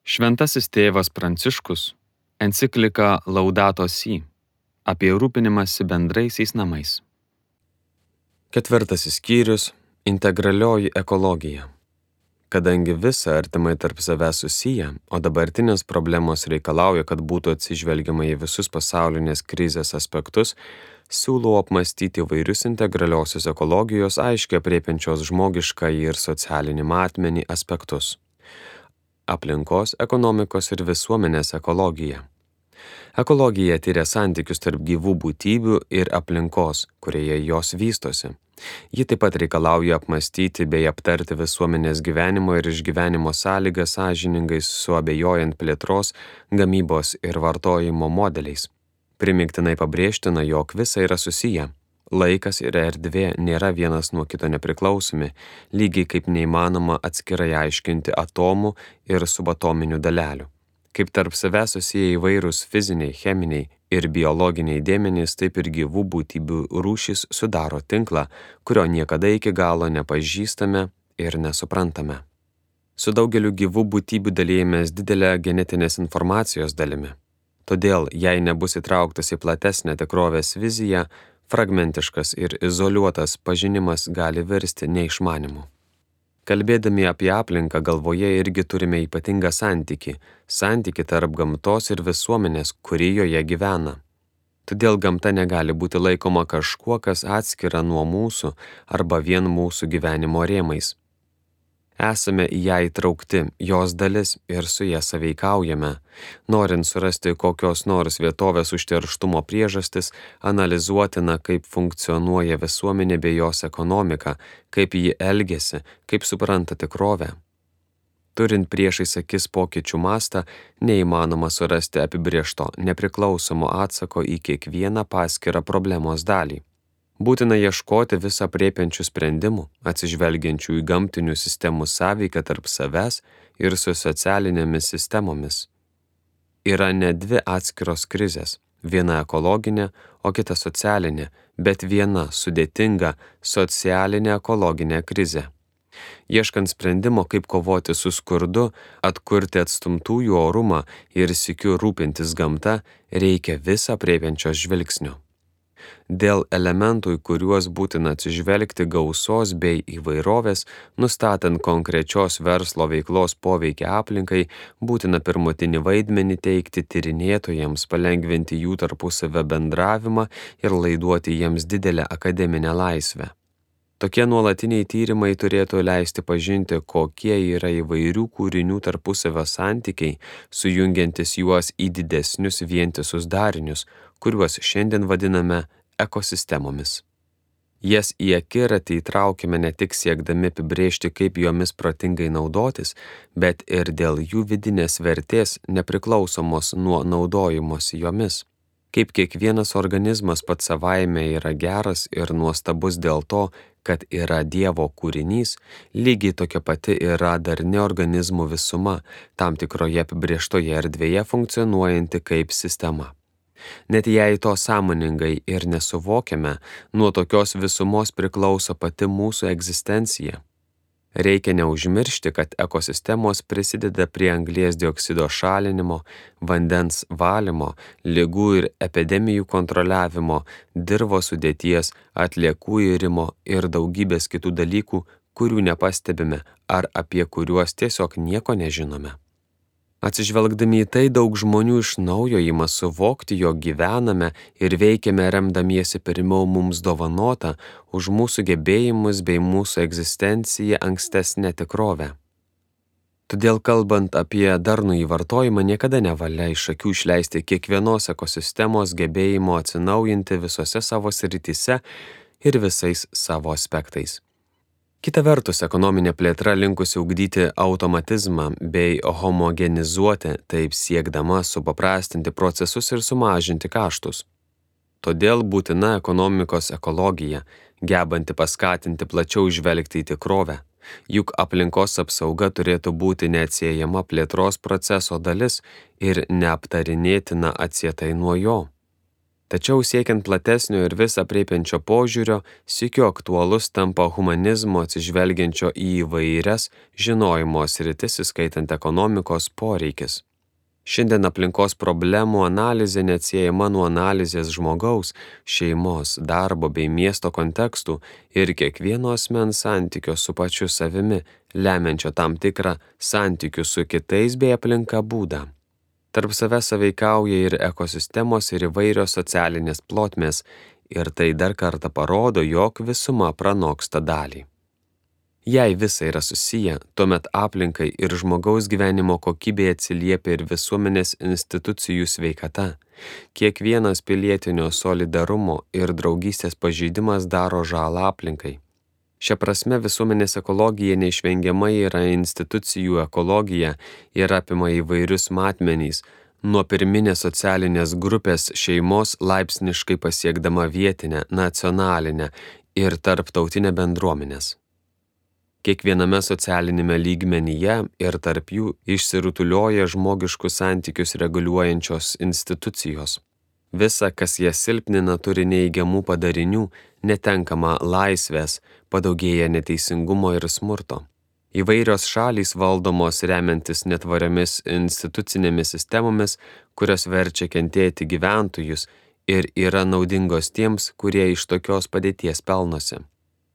Šventasis tėvas Pranciškus enciklika Laudato Si apie rūpinimąsi bendraisiais namais. 4 skyrius – integralioji ekologija. Kadangi visa artimai tarp savęs susiję, o dabartinės problemos reikalauja, kad būtų atsižvelgiama į visus pasaulinės krizės aspektus, siūlau apmąstyti įvairius integraliosios ekologijos aiškiai aprėpiančios žmogiškąjį ir socialinį matmenį aspektus. Aplinkos, ekonomikos ir visuomenės ekologija. Ekologija tyria santykius tarp gyvų būtybių ir aplinkos, kurioje jos vystosi. Ji taip pat reikalauja apmąstyti bei aptarti visuomenės gyvenimo ir išgyvenimo sąlygas sąžiningai suabejojant plėtros, gamybos ir vartojimo modeliais. Primygtinai pabrėžtina, jog visa yra susiję. Laikas ir erdvė nėra vienas nuo kito nepriklausomi, lygiai kaip neįmanoma atskirai aiškinti atomų ir subatominių dalelių. Kaip tarp savęs susiję įvairūs fiziniai, cheminiai ir biologiniai dėmenys, taip ir gyvų būtybių rūšys sudaro tinklą, kurio niekada iki galo nepažįstame ir nesuprantame. Su daugeliu gyvų būtybių dalijamės didelę genetinės informacijos dalimi. Todėl, jei nebus įtrauktas į platesnę tikrovės viziją, fragmentiškas ir izoliuotas pažinimas gali virsti neišmanimu. Kalbėdami apie aplinką galvoje irgi turime ypatingą santykį tarp gamtos ir visuomenės, kuri joje gyvena. Todėl gamta negali būti laikoma kažkuo, kas atskira nuo mūsų arba vien mūsų gyvenimo rėmais. Esame į ją įtraukti, jos dalis ir su ją sąveikaujame. Norint surasti kokios nors vietovės užterštumo priežastis, analizuotina, kaip funkcionuoja visuomenė bei jos ekonomika, kaip ji elgiasi, kaip supranta tikrovę. Turint priešais akis pokyčių mastą, neįmanoma surasti apibrėžto, nepriklausomo atsako į kiekvieną paskirą problemos dalį. Būtina ieškoti visą aprėpiančių sprendimų, atsižvelgiančių į gamtinių sistemų sąveiką tarp savęs ir su socialinėmis sistemomis. Yra ne dvi atskiros krizės, viena ekologinė, o kita socialinė, bet viena sudėtinga socialinė ekologinė krizė. Ieškant sprendimo, kaip kovoti su skurdu, atkurti atstumtųjų orumą ir sykiu rūpintis gamta, reikia visą aprėpiančios žvilgsnio. Dėl elementų, į kuriuos būtina atsižvelgti gausos bei įvairovės, nustatant konkrečios verslo veiklos poveikį aplinkai, būtina pirmutinį vaidmenį teikti tyrinėtojams, palengvinti jų tarpusavio bendravimą ir laiduoti jiems didelę akademinę laisvę. Tokie nuolatiniai tyrimai turėtų leisti pažinti, kokie yra įvairių kūrinių tarpusavio santykiai, sujungiantis juos į didesnius vientisus darinius, kuriuos šiandien vadiname ekosistemomis. Jas į akiratį įtraukime ne tik siekdami apibrėžti, kaip jomis protingai naudotis, bet ir dėl jų vidinės vertės nepriklausomos nuo naudojimosi jomis. Kaip kiekvienas organizmas pats savaime yra geras ir nuostabus dėl to, kad yra Dievo kūrinys, lygiai tokia pati yra darni organizmų visuma, tam tikroje apibrėžtoje erdvėje funkcionuojanti kaip sistema. Net jei to sąmoningai ir nesuvokiame, nuo tokios visumos priklauso pati mūsų egzistencija. Reikia neužmiršti, kad ekosistemos prisideda prie anglies dioksido šalinimo, vandens valymo, ligų ir epidemijų kontroliavimo, dirvos sudėties, atliekų irimo ir daugybės kitų dalykų, kurių nepastebime ar apie kuriuos tiesiog nieko nežinome. Atsižvelgdami į tai, daug žmonių iš naujo ima suvokti, jog gyvename ir veikiame remdamiesi pirmiau mums dovanota už mūsų gebėjimus bei mūsų egzistenciją ankstesnę tikrovę. Todėl, kalbant apie darnų įvartojimą, niekada nevalia iš akių išleisti kiekvienos ekosistemos gebėjimo atsinaujinti visose savo srityse ir visais savo aspektais. Kita vertus, ekonominė plėtra linkusi ugdyti automatizmą bei homogenizuoti, taip siekdama supaprastinti procesus ir sumažinti kaštus. Todėl būtina ekonomikos ekologija, gebanti paskatinti plačiau žvelgti į tikrovę, juk aplinkos apsauga turėtų būti neatsiejama plėtros proceso dalis ir neaptarinėtina atsietai nuo jo. Tačiau siekiant platesnio ir vis aprėpiančio požiūrio, sykiu aktualus tampa humanizmo atsižvelgiančio į įvairias žinojimo sritis, įskaitant ekonomikos poreikis. Šiandien aplinkos problemų analizė neatsiejama nuo analizės žmogaus, šeimos, darbo bei miesto kontekstų ir kiekvieno asmens santykio su pačiu savimi, lemiančio tam tikrą santykių su kitais bei aplinka būdą. Tarp savęs sąveikauja ir ekosistemos ir įvairios socialinės plotmės, ir tai dar kartą parodo, jog visuma pranoksta dalį. Jei visa yra susiję, tuomet aplinkai ir žmogaus gyvenimo kokybė atsiliepia ir visuomenės institucijų sveikata. Kiekvienas pilietinio solidarumo ir draugystės pažeidimas daro žalą aplinkai. Šia prasme visuomenės ekologija neišvengiamai yra institucijų ekologija ir apima įvairius matmenys, nuo pirminės socialinės grupės šeimos laipsniškai pasiekdama vietinę, nacionalinę ir tarptautinę bendruomenės. Kiekviename socialinėme lygmenyje ir tarp jų išsirutulioja žmogiškus santykius reguliuojančios institucijos. Visa, kas jas silpnina, turi neigiamų padarinių, netenkama laisvės, padaugėja neteisingumo ir smurto. Įvairios šalys valdomos remiantis netvariomis institucinėmis sistemomis, kurios verčia kentėti gyventojus ir yra naudingos tiems, kurie iš tokios padėties pelnosi.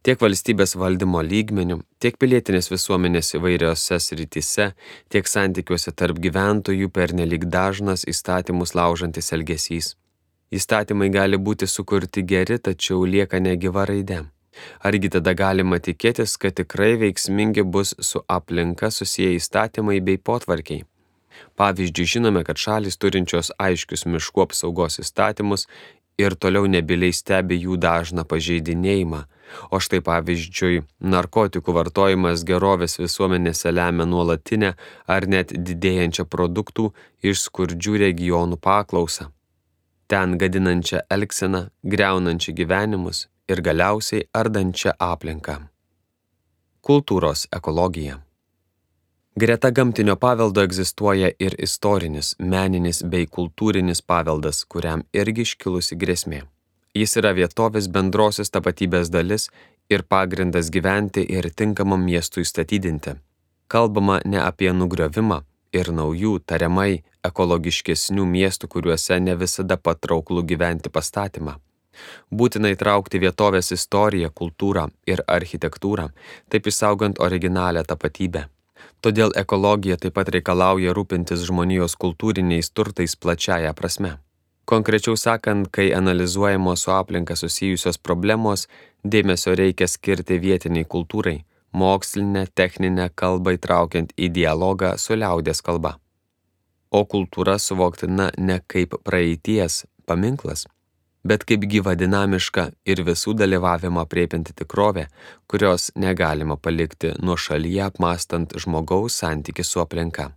Tiek valstybės valdymo lygmenių, tiek pilietinės visuomenės įvairiose srityse, tiek santykiuose tarp gyventojų pernelyg dažnas įstatymus laužantis elgesys. Įstatymai gali būti sukurti geri, tačiau lieka negyva raidė. Argi tada galima tikėtis, kad tikrai veiksmingi bus su aplinka susiję įstatymai bei potvarkiai? Pavyzdžiui, žinome, kad šalys turinčios aiškius miškų apsaugos įstatymus ir toliau nebyliai stebi jų dažną pažeidinėjimą, o štai pavyzdžiui, narkotikų vartojimas gerovės visuomenėse lemia nuolatinę ar net didėjančią produktų iš skurdžių regionų paklausą. Ten gadinančią elgseną, griaunančią gyvenimus ir galiausiai ardančią aplinką. Kultūros ekologija. Greta gamtinio paveldo egzistuoja ir istorinis, meninis bei kultūrinis paveldas, kuriam irgi iškilusi grėsmė. Jis yra vietovės bendrosios tapatybės dalis ir pagrindas gyventi ir tinkamam miestui statydinti. Kalbama ne apie nugriovimą ir naujų, tariamai ekologiškesnių miestų, kuriuose ne visada patrauklų gyventi pastatymą. Būtina įtraukti vietovės istoriją, kultūrą ir architektūrą, taip išsaugant originalią tapatybę. Todėl ekologija taip pat reikalauja rūpintis žmonijos kultūriniais turtais plačiaja prasme. Konkrečiau sakant, kai analizuojamos su aplinka susijusios problemos, dėmesio reikia skirti vietiniai kultūrai, mokslinę, techninę kalbą įtraukiant į dialogą su liaudies kalba. O kultūra suvoktina ne kaip praeities paminklas, bet kaip gyva dinamiška ir visų dalyvavimą aprėpianti tikrovė, kurios negalima palikti nuošalyje apmąstant žmogaus santykį su aplinka.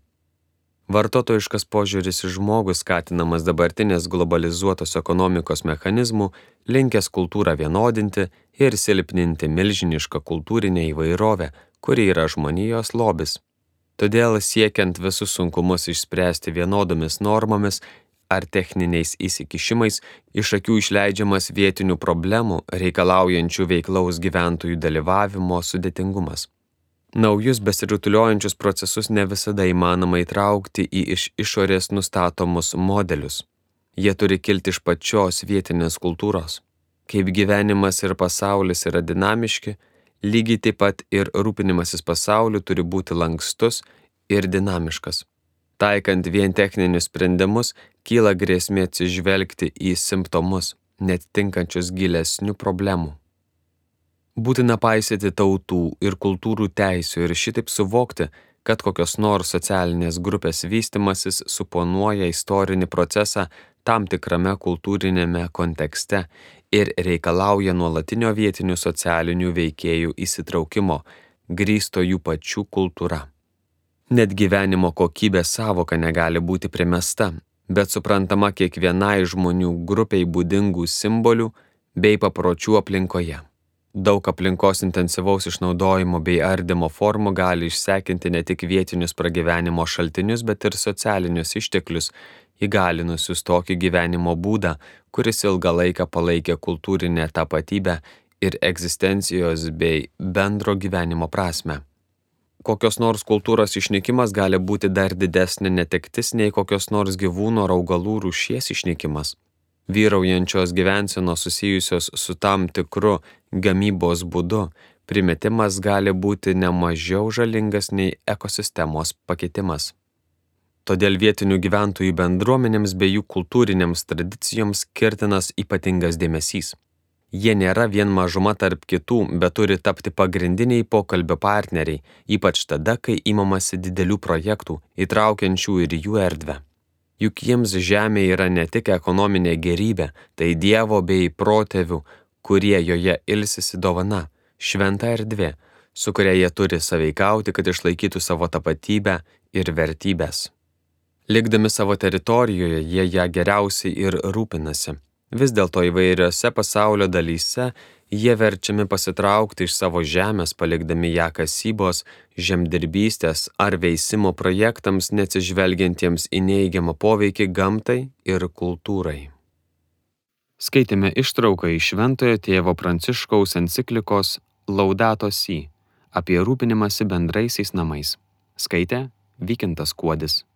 Vartotojiškas požiūris į žmogų skatinamas dabartinės globalizuotos ekonomikos mechanizmų, linkęs kultūrą vienodinti ir silpninti milžinišką kultūrinę įvairovę, kuri yra žmonijos lobis. Todėl siekiant visus sunkumus išspręsti vienodomis normomis ar techniniais įsikišimais, iš akių išleidžiamas vietinių problemų, reikalaujančių veiklaus gyventojų dalyvavimo sudėtingumas. Naujus besirutuliojančius procesus ne visada įmanoma įtraukti į iš išorės nustatomus modelius. Jie turi kilti iš pačios vietinės kultūros. Kaip gyvenimas ir pasaulis yra dinamiški, lygiai taip pat ir rūpinimasis pasauliu turi būti lankstus ir dinamiškas. Taikant vien techninius sprendimus, kyla grėsmė atsižvelgti į simptomus, net tinkančius gilesnių problemų. Būtina paisyti tautų ir kultūrų teisių ir šitaip suvokti, kad kokios nors socialinės grupės vystimasis suponuoja istorinį procesą tam tikrame kultūrinėme kontekste ir reikalauja nuolatinio vietinių socialinių veikėjų įsitraukimo, grįsto jų pačių kultūra. Net gyvenimo kokybės sąvoka negali būti primesta, bet suprantama kiekvienai žmonių grupiai būdingų simbolių bei papročių aplinkoje. Daug aplinkos intensyvaus išnaudojimo bei ardymo formų gali išsekinti ne tik vietinius pragyvenimo šaltinius, bet ir socialinius išteklius, įgalinusius tokį gyvenimo būdą, kuris ilgą laiką palaikė kultūrinę tapatybę ir egzistencijos bei bendro gyvenimo prasme. Kokios nors kultūros išnykimas gali būti dar didesnė netektis nei kokios nors gyvūno ar augalų rūšies išnykimas. Vyraujančios gyvensenos susijusios su tam tikru gamybos būdu, primetimas gali būti ne mažiau žalingas nei ekosistemos pakitimas. Todėl vietinių gyventojų bendruomenėms bei jų kultūrinėms tradicijoms skirtinas ypatingas dėmesys. Jie nėra vien mažuma tarp kitų, bet turi tapti pagrindiniai pokalbio partneriai, ypač tada, kai imamasi didelių projektų, įtraukiančių ir jų erdvę. Juk jiems žemė yra ne tik ekonominė gėrybė, tai Dievo bei protėvių, kurie joje ilsisi dovana, šventa erdvė, su kuria jie turi sąveikauti, kad išlaikytų savo tapatybę ir vertybės. Likdami savo teritorijoje, jie ją geriausiai ir rūpinasi. Vis dėlto įvairiose pasaulio dalyse jie verčiami pasitraukti iš savo žemės, palikdami ją kasybos, žemdirbystės ar veisimo projektams, neatsižvelgiantiems į neigiamą poveikį gamtai ir kultūrai. Skaitėme ištrauką iš Šventojo tėvo Pranciškaus enciklikos Laudato Si apie rūpinimąsi bendraisiais namais. Skaitė Vykintas Kuodis.